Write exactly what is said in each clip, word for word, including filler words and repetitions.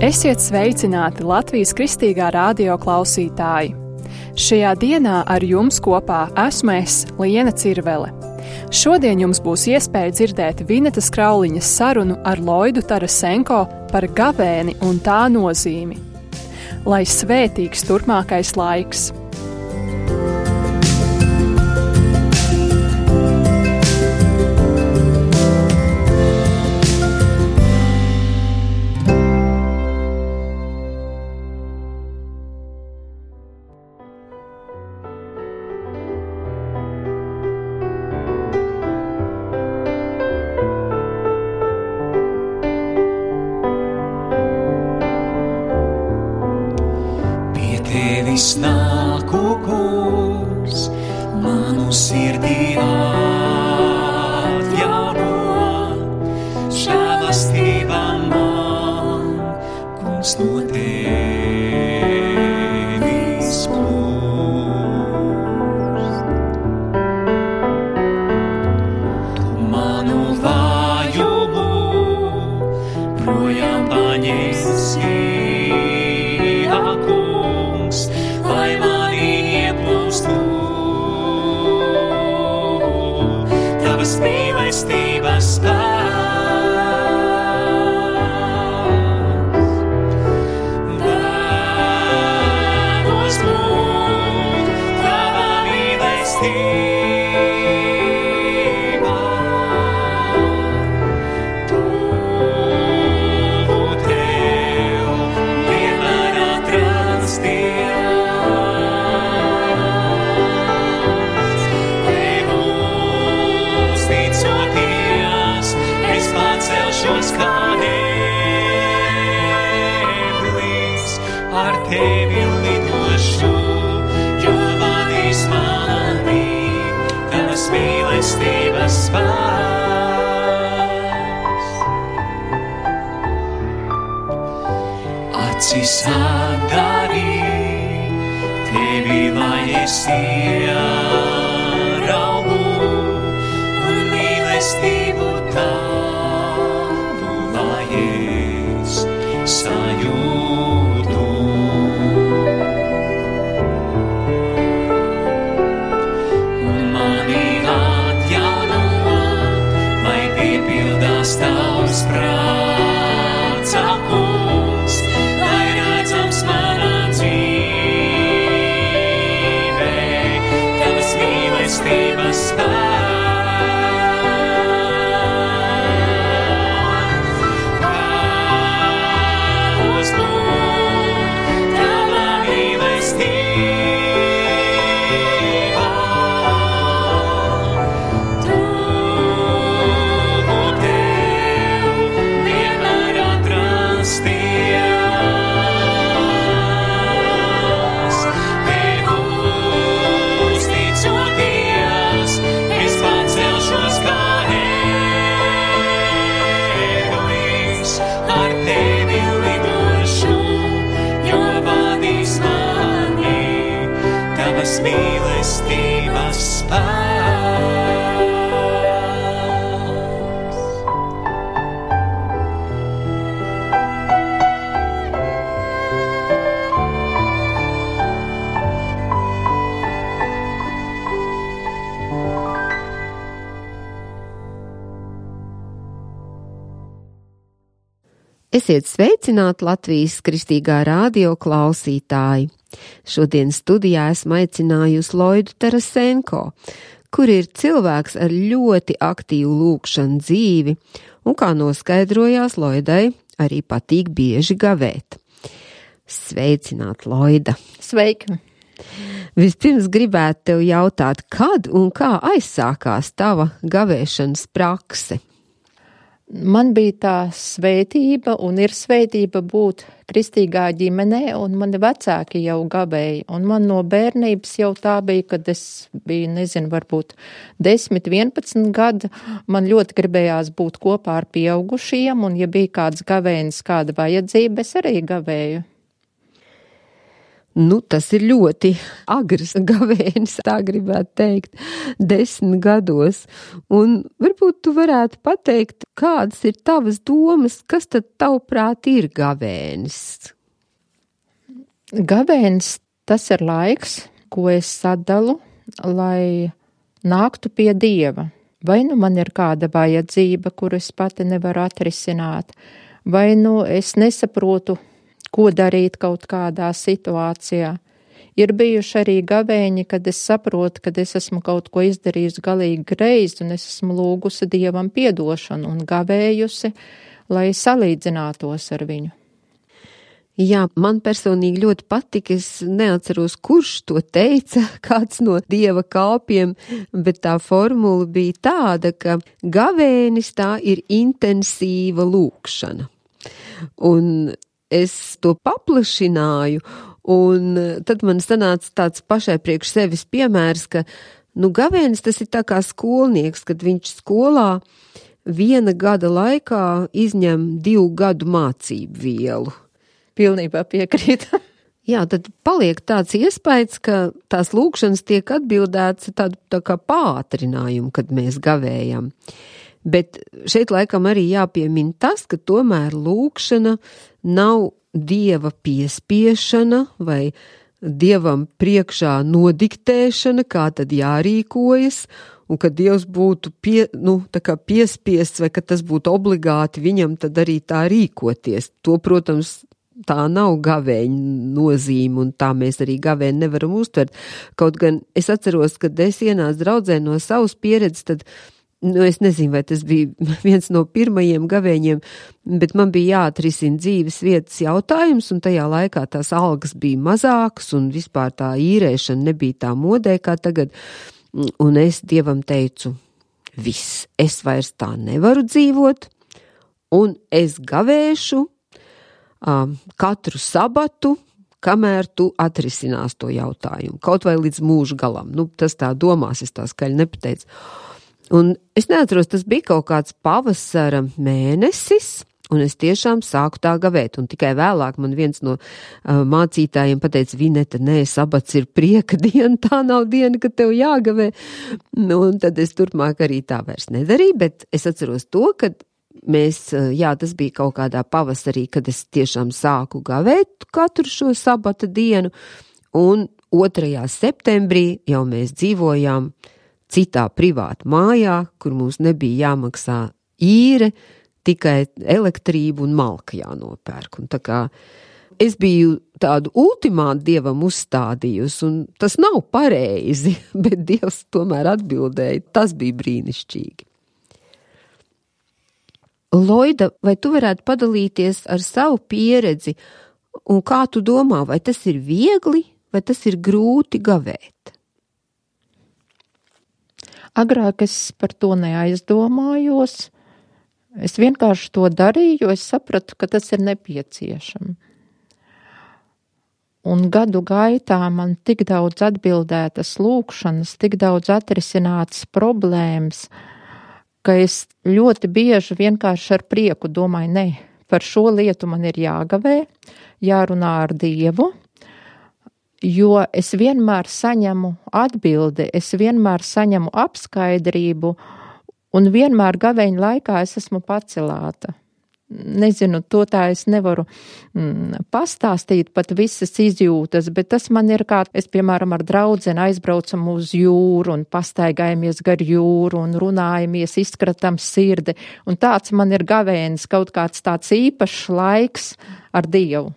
Esiet sveicināti Latvijas Kristīgā radio klausītāji! Šajā dienā ar jums kopā esmu es, Liena Cirvele. Šodien jums būs iespēja dzirdēt Vinetas Krauliņas sarunu ar Loidu Tarasenko par gavēni un tā nozīmi. Lai svētīgs turpmākais laiks! Nāku, kungs, manu sirdī atjauno, žēlastība man, kungs, no tevis plūst. Tu manu vājumu projām paņemsi, lai mani ieplūstu tavas mīlestības spēks. Vēlos būt tava mīlestība, tuvu tev vienmēr atrasties. Celšos kā eblis, ar tevi lidošu, jo vadīs mani tavas mīlestības spēks. Acis atdarī, tevi lai es ieraugu, un mīlestību tavu sajūtu. Un mani atjauno, lai piepildās tavs prāts, kungs, lai redzams manā dzīvē, tavas mīlestības spēks. Mīlestības spēks. Esiet sveicināti Latvijas Kristīgā radio klausītāji! Šodien studijā esmu aicinājusi Loidu Tarasenko, kur ir cilvēks ar ļoti aktīvu lūgšanu dzīvi, un kā noskaidrojās, Loidai arī patīk bieži gavēt. Sveicināt, Loida! Sveika! Vispirms gribētu tev jautāt, kad un kā aizsākās tava gavēšanas prakse? Man bija tā svētība un ir svētība būt kristīgā ģimenē, un mani vecāki jau gavēja. Un man no bērnības jau tā bija, kad es biju, nezinu, varbūt desmit, vienpadsmit gadi. Man ļoti gribējās būt kopā ar pieaugušiem, un ja bija kāds gavēnis, kāda vajadzība, es arī gavēju. Nu, tas ir ļoti agrs gavēnis, tā gribētu teikt, desmit gados. Un varbūt tu varētu pateikt, kādas ir tavas domas, kas tad tavuprāt ir gavēnis? Gavēnis tas ir laiks, ko es sadalu, lai nāktu pie Dieva. Vai nu man ir kāda vajadzība, kuru es pati nevaru atrisināt, vai nu es nesaprotu, ko darīt kaut kādā situācijā. Ir bijuši arī gavēņi, kad es saprotu, kad es esmu kaut ko izdarījusi galīgi greizi, un es esmu lūgusi Dievam piedošanu un gavējusi, lai salīdzinātos ar viņu. Jā, man personīgi ļoti patika, es neatceros, kurš to teica, kāds no Dieva kalpiem, bet tā formula bija tāda, ka gavēnis tā ir intensīva lūkšana. Un es to paplašināju, un tad man sanāca tāds pašai priekš sevis piemērs, ka, nu, gavēnis tas ir tā kā skolnieks, kad viņš skolā viena gada laikā izņem divu gadu mācību vielu. Pilnībā piekrīt. Jā, tad paliek tāds iespējas, ka tās lūkšanas tiek atbildēts tādu tā kā pātrinājumu, kad mēs gavējam. Bet šeit laikam arī jāpiemina tas, ka tomēr lūkšana nav Dieva piespiešana vai Dievam priekšā nodiktēšana, kā tad jārīkojas, un ka Dievs būtu pie, nu, tā kā piespiests vai ka tas būtu obligāti viņam tad arī tā rīkoties. To, protams, tā nav gavēņa nozīme, un tā mēs arī gavēņu nevaram uztvert. Kaut gan es atceros, kad es ienācu draudzē no savas pieredzes, tad nu, es nezinu, vai tas bija viens no pirmajiem gavēņiem, bet man bija jāatrisina dzīves vietas jautājums, un tajā laikā tās algas bija mazākas, un vispār tā īrēšana nebija tā modē kā tagad, un es Dievam teicu, viss, es vairs tā nevaru dzīvot, un es gavēšu um, katru sabatu, kamēr tu atrisinās to jautājumu, kaut vai līdz mūža galam. Nu, tas tā domās, es tā skaļi nepateicu. Un es neatceros, tas bija kaut kāds pavasara mēnesis, un es tiešām sāku tā gavēt. Un tikai vēlāk man viens no uh, mācītājiem pateica, Vineta, nē, sabats ir prieka diena, tā nav diena, kad tev jāgavē. Nu, un tad es turpmāk arī tā vairs nedarīju, bet es atceros to, kad mēs, uh, jā, tas bija kaut kādā pavasarī, kad es tiešām sāku gavēt katru šo sabata dienu, un otrajā septembrī jau mēs dzīvojām citā privāta mājā, kur mums nebija jāmaksā īre, tikai elektrību un malka jānopērk. Un tā kā es biju tādu ultimātu Dievam uzstādījusi, un tas nav pareizi, bet Dievs tomēr atbildēja. Tas bija brīnišķīgi. Loida, vai tu varētu padalīties ar savu pieredzi, un kā tu domā, vai tas ir viegli, vai tas ir grūti gavēt? Agrāk es par to neaizdomājos. Es vienkārši to darīju, jo es sapratu, ka tas ir nepieciešams. Un gadu gaitā man tik daudz atbildētas lūkšanas, tik daudz atrisinātas problēmas, ka es ļoti bieži vienkārši ar prieku domāju, ne, par šo lietu man ir jāgavē, jārunā ar Dievu, jo es vienmēr saņemu atbildi, es vienmēr saņemu apskaidrību, un vienmēr gavēņa laikā es esmu pacelāta. Nezinu, to tā es nevaru mm, pastāstīt pat visas izjūtas, bet tas man ir kā, es piemēram ar draudzeni aizbraucam uz jūru un pastaigājamies gar jūru un runājamies, izkratam sirdi, un tāds man ir gavēnis, kaut kāds tāds īpašs laiks ar Dievu.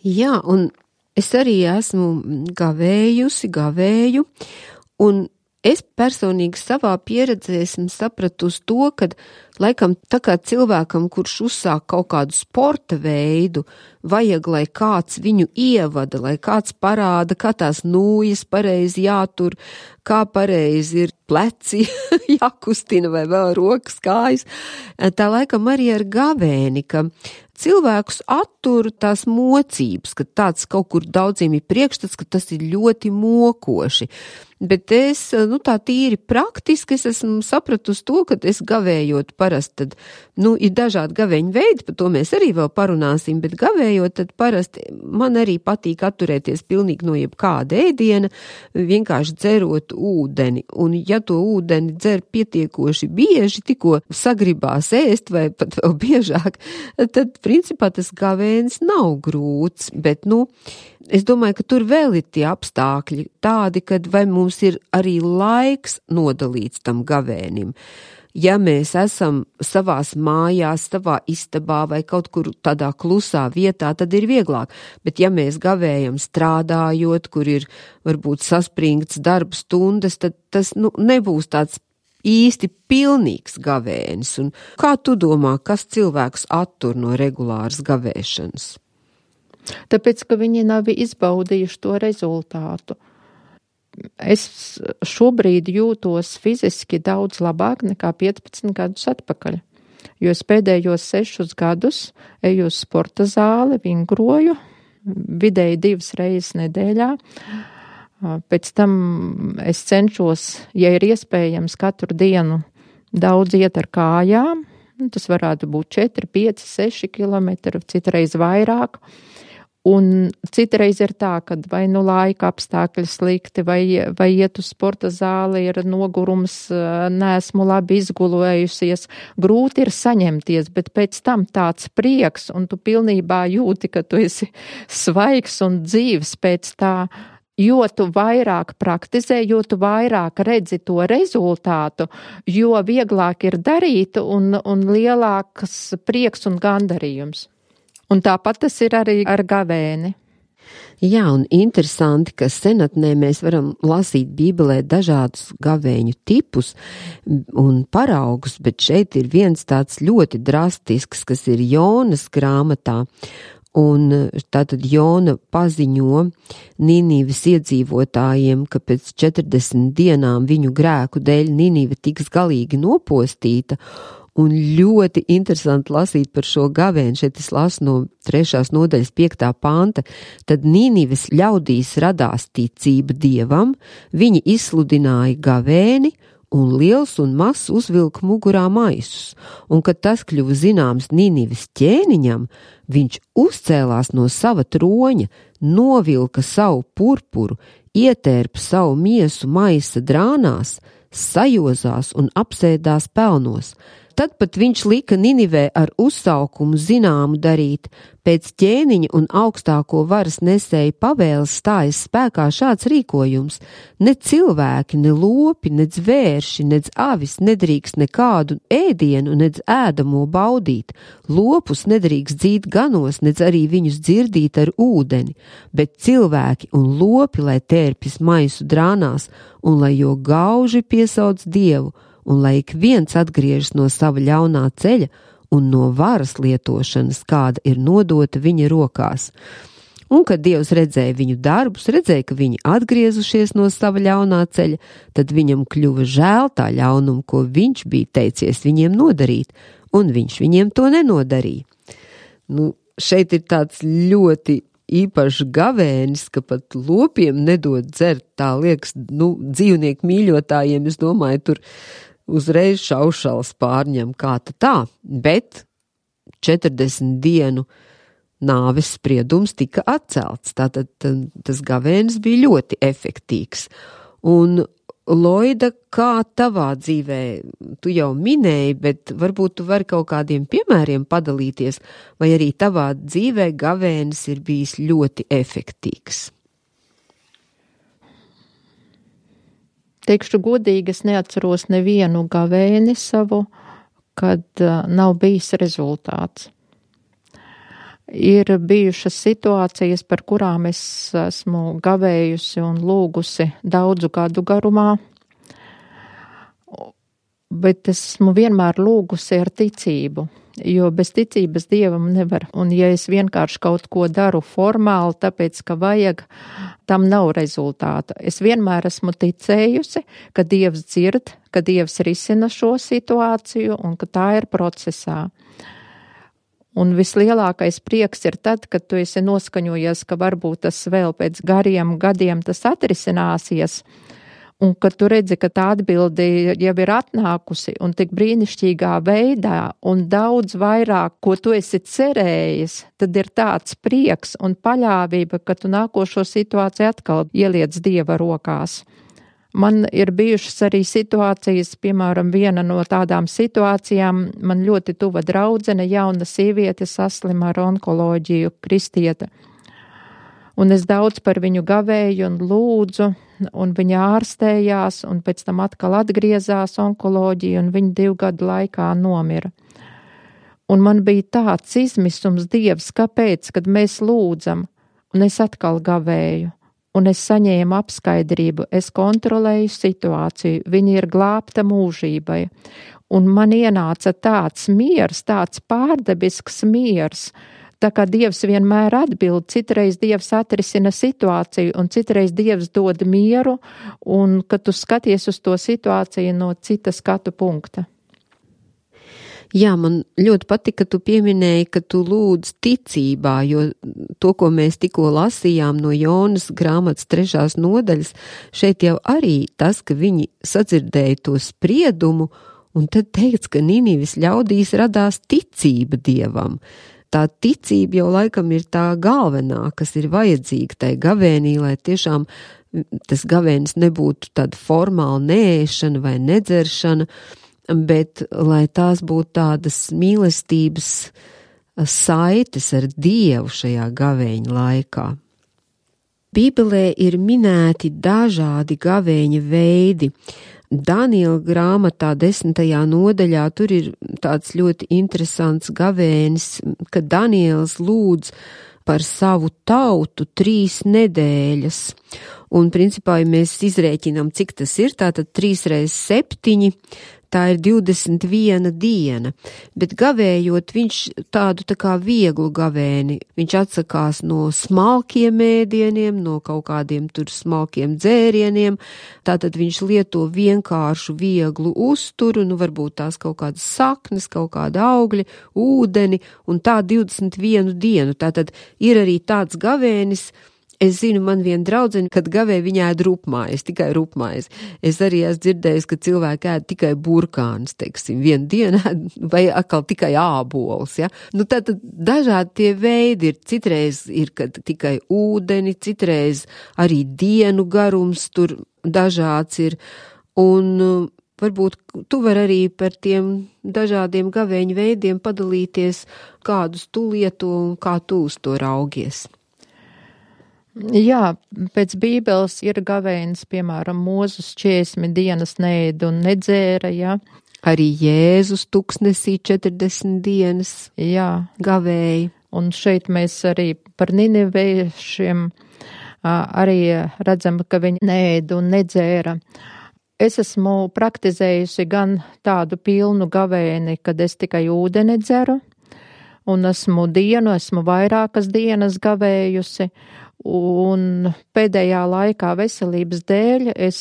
Jā, un es arī esmu gavējusi, gavēju, un es personīgi savā pieredzē esmu sapratusi to, ka laikam tā kā cilvēkam, kurš uzsāk kaut kādu sporta veidu, vajag, lai kāds viņu ievada, lai kāds parāda, kā tās nūjas pareizi jātur, kā pareizi ir pleci jākustina vai vēl rokas, kājas. Tā laikam arī ar gavēni, ka cilvēkus attur tās mocības, ka tāds kaut kur daudziem ir priekšstats, ka tas ir ļoti mokoši. bet es, nu tā tīri praktiski, es esmu sapratusi to, ka es gavējot parasti, tad, nu, ir dažādi gaveņu veidi, par to mēs arī vēl parunāsim, bet gavējot, tad parasti man arī patīk atturēties pilnīgi no jebkāda ēdiena, vienkārši dzerot ūdeni, un ja to ūdeni dzer pietiekoši bieži, tikko sagribās ēst vai pat vēl biežāk, tad, principā, tas gavēns nav grūts, bet, nu, es domāju, ka tur vēl ir tie apstākļi tādi, kad vai mums ir arī laiks nodalīts tam gavēnim. Ja mēs esam savās mājās, savā istabā vai kaut kur tādā klusā vietā, tad ir vieglāk. Bet ja mēs gavējam strādājot, kur ir varbūt saspringts darba stundas, tad tas, nu, nebūs tāds īsti pilnīgs gavēnis. Un kā tu domā, kas cilvēks attur no regulāras gavēšanas? Tāpēc, ka viņi nav izbaudījuši to rezultātu. Es šobrīd jūtos fiziski daudz labāk nekā piecpadsmit gadus atpakaļ, jo es pēdējos sešus gadus eju uz sporta zāli, vingroju, vidēji divas reizes nedēļā. Pēc tam es cenšos, ja ir iespējams, katru dienu daudz iet ar kājām. Tas varētu būt četri, pieci, seši kilometri, citreiz vairāk. Un citreiz ir tā, ka vai nu laika apstākļi slikti, vai, vai iet uz sporta zāli, ir nogurums, neesmu labi izgulējusies. Grūti ir saņemties, bet pēc tam tāds prieks, un tu pilnībā jūti, ka tu esi svaigs un dzīves pēc tā. Jo tu vairāk praktizē, jo tu vairāk redzi to rezultātu, jo vieglāk ir darīt un, un lielāks prieks un gandarījums. Un tāpat tas ir arī ar gavēni. Jā, un interesanti, ka senatnē mēs varam lasīt Bībelē dažādus gavēņu tipus un paraugus, bet šeit ir viens tāds ļoti drastisks, kas ir Jonas grāmatā. Un tātad Jona paziņo Nīnīves iedzīvotājiem, ka pēc četrdesmit dienām viņu grēku dēļ Nīnīve tiks galīgi nopostīta. Un ļoti interesanti lasīt par šo gavēni, šeit es lasu no trešās nodaļas piektā panta, tad Nīnives ļaudīs radās ticība Dievam, viņi izsludināja gavēni, un liels un mazs uzvilka mugurā maisus, un kad tas kļuva zināms Nīnives ķēniņam, viņš uzcēlās no sava troņa, novilka savu purpuru, ietērpa savu miesu maisa drānās, sajozās un apsēdās pelnos. Tad pat viņš lika Ninivē ar uzsaukumu zināmu darīt. Pēc ķēniņa un augstāko varas nesēja pavēles stājas spēkā šāds rīkojums. Ne cilvēki, ne lopi, ne zvērši, ne avis nedrīkst nekādu ēdienu, ne ēdamo baudīt. Lopus nedrīkst dzīt ganos, ne arī viņus dzirdīt ar ūdeni, bet cilvēki un lopi, lai tērpjas maisu drānās un lai jo gauži piesauc Dievu, un lai ik viens atgriežas no sava ļaunā ceļa un no varas lietošanas, kāda ir nodota viņa rokās. Un, kad Dievs redzēja viņu darbus, redzēja, ka viņi atgriezušies no sava ļaunā ceļa, tad viņam kļuva žēl tā ļaunumu, ko viņš bija teicies viņiem nodarīt, un viņš viņiem to nenodarīja. Nu, šeit ir tāds ļoti īpašs gavēnis, ka pat lopiem nedod dzert, tā liekas, nu, dzīvnieku mīļotājiem, es domāju, tur uzreiz šaušals pārņem, kā tā, bet četrdesmit dienu nāves spriedums tika atcelts, tātad tas gavēnis bija ļoti efektīvs. Un Loida, kā tavā dzīvē, tu jau minēji, bet varbūt tu vari kaut kādiem piemēriem padalīties, vai arī tavā dzīvē gavēnis ir bijis ļoti efektīvs? Teikšu godīgi, es neatceros nevienu gavēni savu, kad uh, nav bijis rezultāts. Ir bijušas situācijas, par kurām es esmu gavējusi un lūgusi daudzu gadu garumā, bet esmu vienmēr lūgusi ar ticību, jo bez ticības Dievam nevar. Un ja es vienkārši kaut ko daru formāli, tāpēc, ka vajag, tam nav rezultāta. Es vienmēr esmu ticējusi, ka Dievs dzird, ka Dievs risina šo situāciju un ka tā ir procesā. Un vislielākais prieks ir tad, kad tu esi noskaņojies, ka varbūt tas vēl pēc gariem gadiem tas atrisināsies. Un, kad tu redzi, ka tā atbilde jau ir atnākusi un tik brīnišķīgā veidā un daudz vairāk, ko tu esi cerējis, tad ir tāds prieks un paļāvība, ka tu nākošo situāciju atkal ieliec Dieva rokās. Man ir bijušas arī situācijas, piemēram, viena no tādām situācijām, man ļoti tuva draudzene, jauna sieviete saslima ar onkoloģiju, kristiete. Un es daudz par viņu gavēju un lūdzu, un viņa ārstējās, un pēc tam atkal atgriezās onkoloģija, un viņa divu gadu laikā nomira. Un man bija tāds izmisums, Dievs, kāpēc, kad mēs lūdzam, un es atkal gavēju, un es saņēmu apskaidrību, es kontrolēju situāciju, viņa ir glābta mūžībai, un man ienāca tāds miers, tāds pārdabisks miers, tā kā Dievs vienmēr atbild, citreiz Dievs atrisina situāciju, un citreiz Dievs dod mieru, un kad tu skaties uz to situāciju no cita skatu punkta. Jā, man ļoti patika, ka tu pieminēji, ka tu lūdz ticībā, jo to, ko mēs tikko lasījām no Jonas grāmatas trešās nodaļas, šeit jau arī tas, ka viņi sadzirdēja to spriedumu, un tad teikts, ka Ninives ļaudīs radās ticība Dievam. Tā ticība jau laikam ir tā galvenā, kas ir vajadzīga tai gavēnī, lai tiešām tas gavēnis nebūtu tāda formāla neēšana vai nedzeršana, bet lai tās būtu tādas mīlestības saites ar Dievu šajā gavēņa laikā. Bībelē ir minēti dažādi gavēņa veidi. Daniela grāmatā desmitajā nodaļā tur ir tāds ļoti interesants gavēnis, ka Daniels lūdz par savu tautu trīs nedēļas. Un principā, ja mēs izrēķinām, cik tas ir, tātad trīs reiz septiņi, tā ir divdesmit viena diena, bet gavējot viņš tādu tā kā vieglu gavēni, viņš atsakās no smalkiem ēdieniem, no kaut kādiem tur smalkiem dzērieniem, tātad viņš lieto vienkāršu vieglu uzturu, nu varbūt tās kaut kādas saknes, kaut kāda augļi, ūdeni, un tā divdesmit vienu dienu, tātad ir arī tāds gavēnis. Es zinu, man viena draudzene, kad gavēja viņa ēd rupmaizi, tikai rupmaizi. Es arī esmu dzirdējis, ka cilvēki ēd tikai burkānus, teiksim, vienu dienu ēd, vai atkal tikai ābolus, ja. Nu tātad dažādi tie veidi ir, citreiz ir, kad tikai ūdeni, citreiz arī dienu garums tur dažāds ir, un varbūt tu vari arī par tiem dažādiem gavēņu veidiem padalīties, kādus tu lieto un kā tu uz to raugies. Jā, pēc Bībeles ir gavēnis, piemēram, Mūzus četrdesmit dienas neēda un nedzēra, jā. Arī Jēzus tuksnesī četrdesmit dienas jā. Gavēja. Un šeit mēs arī par niniviešiem arī redzam, ka viņi neēda un nedzēra. Es esmu praktizējusi gan tādu pilnu gavēni, kad es tikai ūdeni dzeru, un esmu dienu, esmu vairākas dienas gavējusi, un pēdējā laikā veselības dēļ es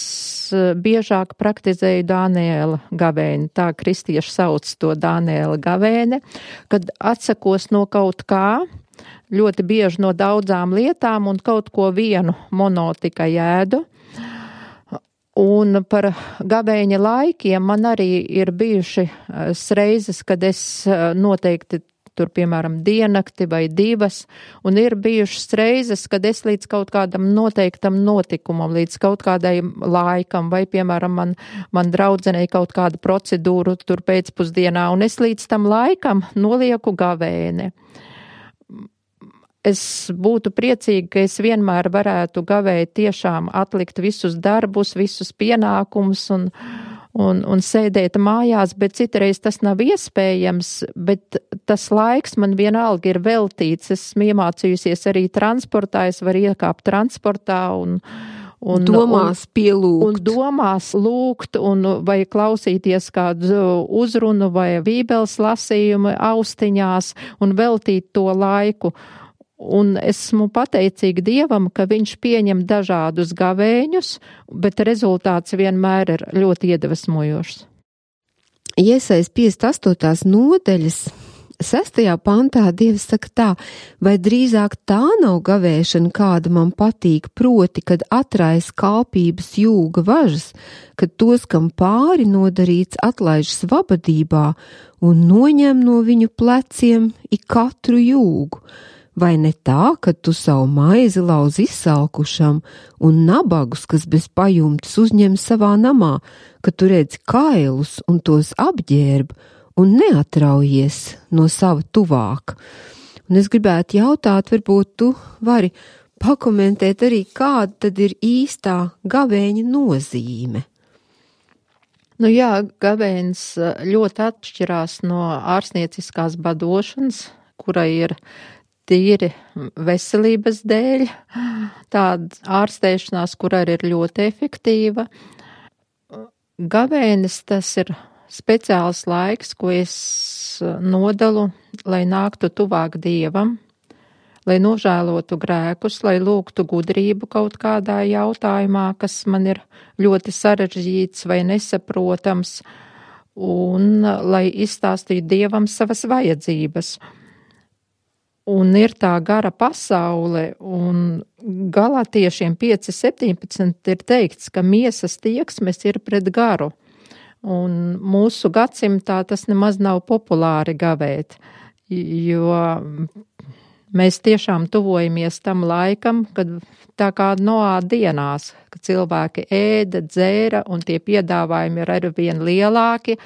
biežāk praktizēju Daniela gavēni, tā kristieši sauc to Daniela gavēni, kad atsakos no kaut kā, ļoti bieži no daudzām lietām un kaut ko vienu mono tikai ēdu. Un par gavēņa laikiem man arī ir bijuši reizes, kad es noteikti tur, piemēram, diennakti vai divas, un ir bijušas reizes, kad es līdz kaut kādam noteiktam notikumam, līdz kaut kādai laikam, vai, piemēram, man, man draudzenei kaut kādu procedūru tur pēcpusdienā, un es līdz tam laikam nolieku gavēni. Es būtu priecīga, ka es vienmēr varētu gavēt tiešām atlikt visus darbus, visus pienākumus un Un, un sēdēt mājās, bet citreiz tas nav iespējams, bet tas laiks man vienalga ir veltīts. Esmu iemācījusies arī transportā, es varu iekāpt transportā un, un domās un, pielūgt. Un domās lūgt, un vai klausīties kādu uzrunu vai bībeles lasījumu austiņās un veltīt to laiku. Un esmu pateicīga Dievam, ka viņš pieņem dažādus gavēņus, bet rezultāts vienmēr ir ļoti iedvesmojošs. Iesaist piecdesmit astotās nodaļas sestajā pantā Dievs saka tā, vai drīzāk tā nav gavēšana, kāda man patīk, proti, kad atrais kalpības jūga važas, kad tos, kam pāri nodarīts, atlaižas vabadībā un noņem no viņu pleciem ik katru jūgu. Vai ne tā, ka tu savu maizi lauz izsalkušam un nabagus, kas bez pajumtes uzņem savā namā, ka tu redzi kailus un tos apģērb, un neatraujies no sava tuvāka. Un es gribētu jautāt, varbūt tu vari pakomentēt arī, kāda tad ir īstā gavēņa nozīme. Nu jā, gavēns ļoti atšķirās no ārstnieciskās badošanas, kura ir tīri veselības dēļ, tāda ārstēšanās, kura arī ir ļoti efektīva. Gavēnis tas ir speciāls laiks, ko es nodalu, lai nāktu tuvāk Dievam, lai nožēlotu grēkus, lai lūgtu gudrību kaut kādā jautājumā, kas man ir ļoti sarežģīts vai nesaprotams, un lai izstāstītu Dievam savas vajadzības. Un ir tā gara pasaule, un Galatiešiem pieci septiņpadsmit ir teikts, ka miesas tieksmes ir pret garu. Un mūsu gadsimtā tas nemaz nav populāri gavēt, jo mēs tiešām tuvojamies tam laikam, kad tā kā Noā dienās, kad cilvēki ēda, dzēra un tie piedāvājumi ir arvien lielāki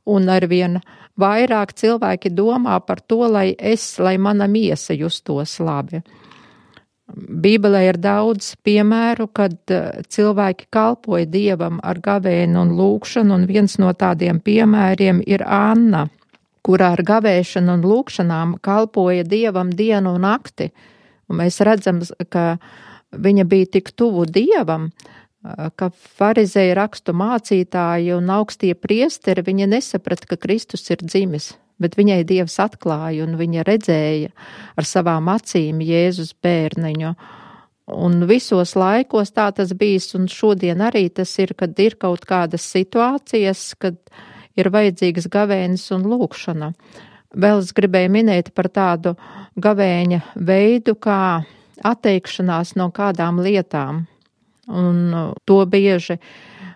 un arvien vairāk cilvēki domā par to, lai es, lai mana miesa justos labi. Bībelē ir daudz piemēru, kad cilvēki kalpoja Dievam ar gavēnu un lūgšanu, un viens no tādiem piemēriem ir Anna, kurā ar gavēšanu un lūgšanām kalpoja Dievam dienu un nakti. Un mēs redzam, ka viņa bija tik tuvu Dievam, ka farizēji, rakstu mācītāji un augstie priesteri, viņa nesaprata, ka Kristus ir dzimis. Bet viņai Dievs atklāja un viņa redzēja ar savām acīm Jēzus bērniņu. Un visos laikos tā tas bijis, un šodien arī tas ir, kad ir kaut kādas situācijas, kad ir vajadzīgas gavēnis un lūgšana. Vēl es gribēju minēt par tādu gavēņa veidu, kā atteikšanās no kādām lietām. Un to bieži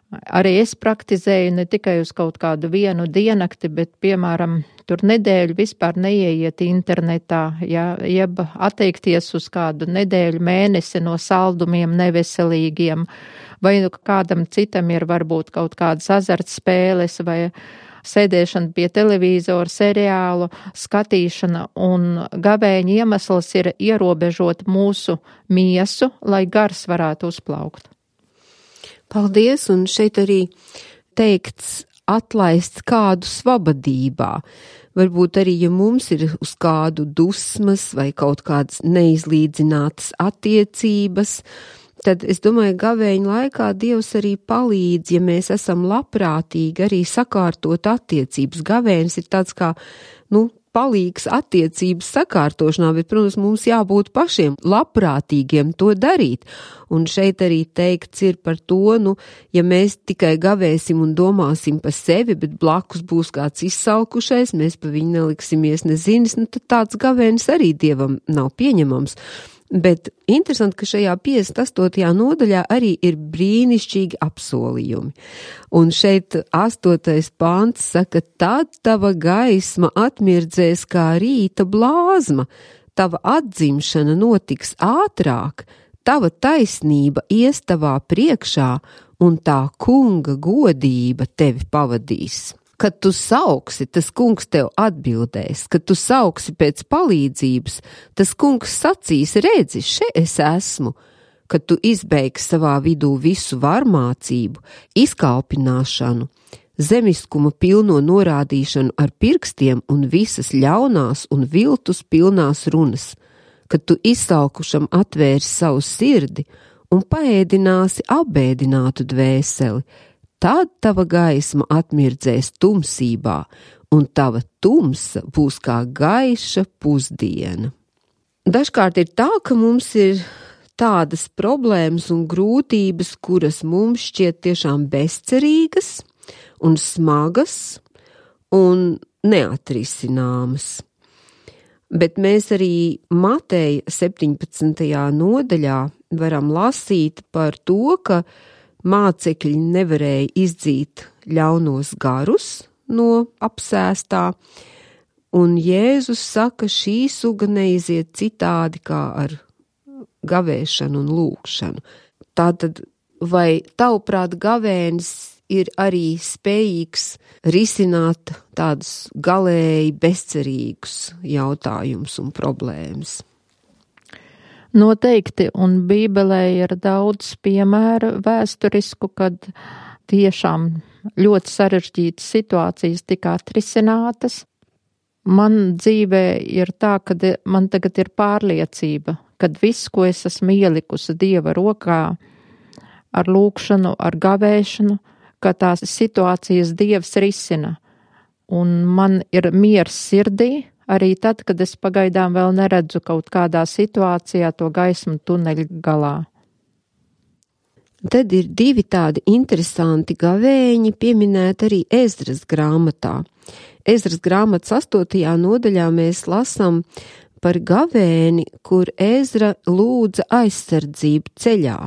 arī es praktizēju ne tikai uz kaut kādu vienu diennakti, bet, piemēram, tur nedēļu vispār neieiet internetā, ja, jeb atteikties uz kādu nedēļu mēnesi no saldumiem neveselīgiem, vai nu kādam citam ir varbūt kaut kādas azartspēles vai sēdēšana pie televīzora, seriālu skatīšana, un gavēņa iemesls ir ierobežot mūsu miesu, lai gars varētu uzplaukt. Paldies, un šeit arī teikts atlaists kādu svabadībā. Varbūt arī, ja mums ir uz kādu dusmas vai kaut kādas neizlīdzinātas attiecības, tad es domāju, gavēņa laikā Dievs arī palīdz, ja mēs esam labprātīgi arī sakārtot attiecības. Gavēnis ir tāds kā, nu, palīgs attiecības sakārtošanā, bet, protams, mums jābūt pašiem labprātīgiem to darīt. Un šeit arī teikts ir par to, nu, ja mēs tikai gavēsim un domāsim par sevi, bet blakus būs kāds izsalkušais, mēs pa viņu neliksimies nezinis, nu, tad tāds gavēnis arī Dievam nav pieņemams. Bet interesanti, ka šajā piecdesmit astotajā nodaļā arī ir brīnišķīgi apsolījumi. Un šeit astotais pants saka, tad tava gaisma atmirdzēs kā rīta blāzma, tava atzimšana notiks ātrāk, tava taisnība ies tavā priekšā un tā kunga godība tevi pavadīs. Kad tu sauksi, tas kungs tev atbildēs, kad tu sauksi pēc palīdzības, tas kungs sacīs, redzi, še es esmu, kad tu izbeigsi savā vidū visu varmācību, izkalpināšanu, zemiskuma pilno norādīšanu ar pirkstiem un visas ļaunās un viltus pilnās runas, kad tu izsalkušam atvērsi savu sirdi un paēdināsi apbēdinātu dvēseli, tad tava gaisma atmirdzēs tumsībā, un tava tumsa būs kā gaiša pusdiena. Dažkārt ir tā, ka mums ir tādas problēmas un grūtības, kuras mums šķiet tiešām bezcerīgas un smagas un neatrisināmas. Bet mēs arī Mateja septiņpadsmitajā nodaļā varam lasīt par to, ka mācekļi nevarēja izdzīt ļaunos garus no apsēstā, un Jēzus saka, šī suga neiziet citādi kā ar gavēšanu un lūgšanu. Tātad, vai tavuprāt gavēnis ir arī spējīgs risināt tādus galēji bezcerīgus jautājumus un problēmas? Noteikti, un Bībelē ir daudz piemēru vēsturisku, kad tiešām ļoti sarežģītas situācijas tika atrisinātas. Man dzīvē ir tā, ka man tagad ir pārliecība, kad viss, ko es esmu ielikusi Dieva rokā ar lūgšanu, ar gavēšanu, ka tās situācijas Dievs risina. Un man ir miers sirdī, arī tad, kad es pagaidām vēl neredzu kaut kādā situācijā to gaismu tuneļa galā. Tad ir divi tādi interesanti gavēņi pieminēti arī Ezras grāmatā. Ezras grāmatas astotajā nodaļā mēs lasām par gavēni, kur Ezra lūdza aizsardzību ceļā.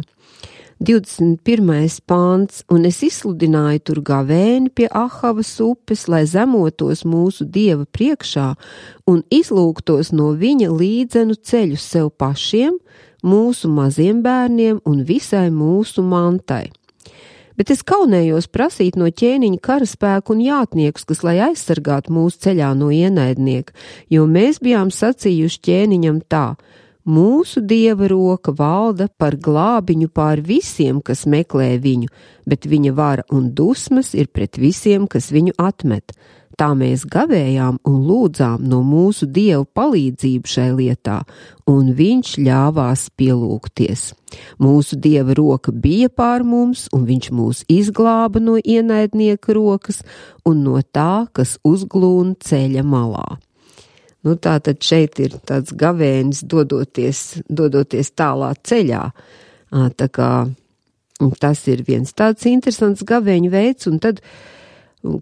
divdesmit pirmais pāns, un es izsludināju tur gavēni pie Ahavas upes, lai zemotos mūsu Dieva priekšā un izlūgtos no viņa līdzenu ceļu sev pašiem, mūsu maziem bērniem un visai mūsu mantai. Bet es kaunējos prasīt no ķēniņa karaspēku un jātniekus, kas lai aizsargātu mūsu ceļā no ienaidnieka, jo mēs bijām sacījuši ķēniņam tā: mūsu Dieva roka valda par glābiņu pār visiem, kas meklē viņu, bet viņa vara un dusmas ir pret visiem, kas viņu atmet. Tā mēs gavējām un lūdzām no mūsu Dieva palīdzību šai lietā, un viņš ļāvās pielūgties. Mūsu Dieva roka bija pār mums, un viņš mūs izglāba no ienaidnieka rokas un no tā, kas uzglūna ceļa malā. Nu, tā tad šeit ir tāds gavēnis dodoties, dodoties tālā ceļā. Tā kā tas ir viens tāds interesants gavēņu veids, un tad,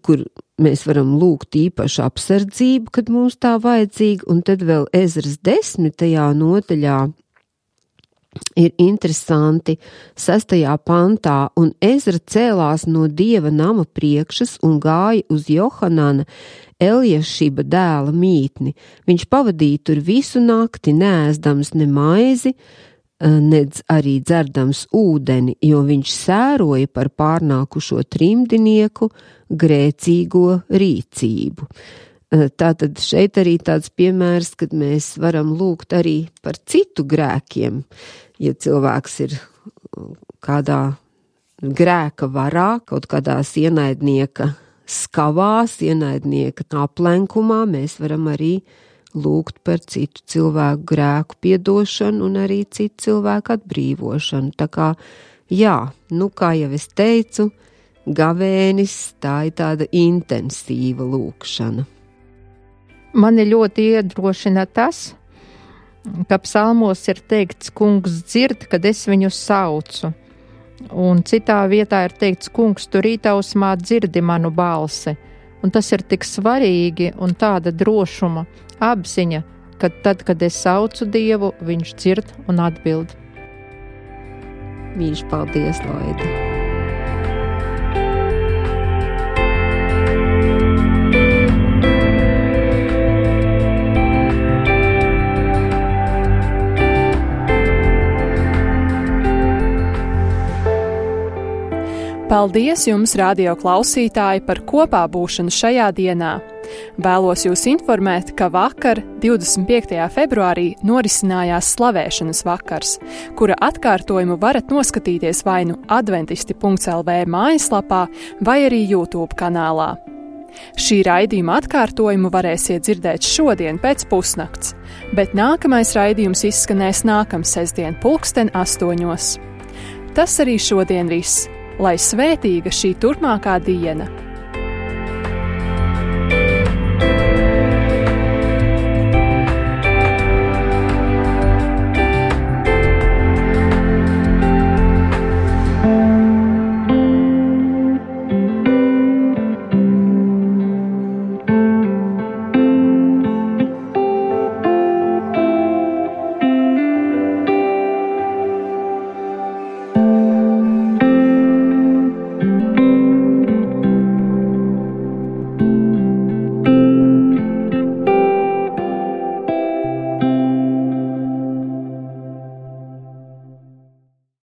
kur mēs varam lūgt īpašu apsardzību, kad mums tā vajadzīga, un tad vēl Ezras desmitajā nodaļā ir interesanti sestajā pantā, un Ezra cēlās no Dieva nama priekšas un gāja uz Johanana, Eljašiba dēla mītni. Viņš pavadīja tur visu nakti, neēzdams ne maizi, nedz arī dzerdams ūdeni, jo viņš sēroja par pārnākušo trimdinieku grēcīgo rīcību. Tātad šeit arī tāds piemērs, kad mēs varam lūgt arī par citu grēkiem. Ja cilvēks ir kādā grēka varā, kaut kādās ienaidnieka skavās, ienaidnieka aplenkumā, mēs varam arī lūgt par citu cilvēku grēku piedošanu un arī citu cilvēku atbrīvošanu. Tā kā, jā, nu kā jau es teicu, gavēnis, tā ir tāda intensīva lūgšana. Mani ļoti iedrošina tas, ka psalmos ir teikts, kungs dzird, kad es viņu saucu. Un citā vietā ir teikts, kungs, tu rītausmā dzirdi manu balsi. Un tas ir tik svarīgi un tāda drošuma apziņa, ka tad, kad es saucu Dievu, viņš dzird un atbild. Mīļš, paldies, Laida! Paldies jums, radio klausītāji, par kopā būšanu šajā dienā. Vēlos jūs informēt, ka vakar, divdesmit piektajā februārī, norisinājās slavēšanas vakars, kura atkārtojumu varat noskatīties vai nu adventisti punkts el vē mājaslapā vai arī YouTube kanālā. Šī raidījuma atkārtojumu varēsiet dzirdēt šodien pēc pusnakts, bet nākamais raidījums izskanēs nākamā sestdien pulksten astoņos. Tas arī šodien viss. Lai svētīga šī turpmākā diena!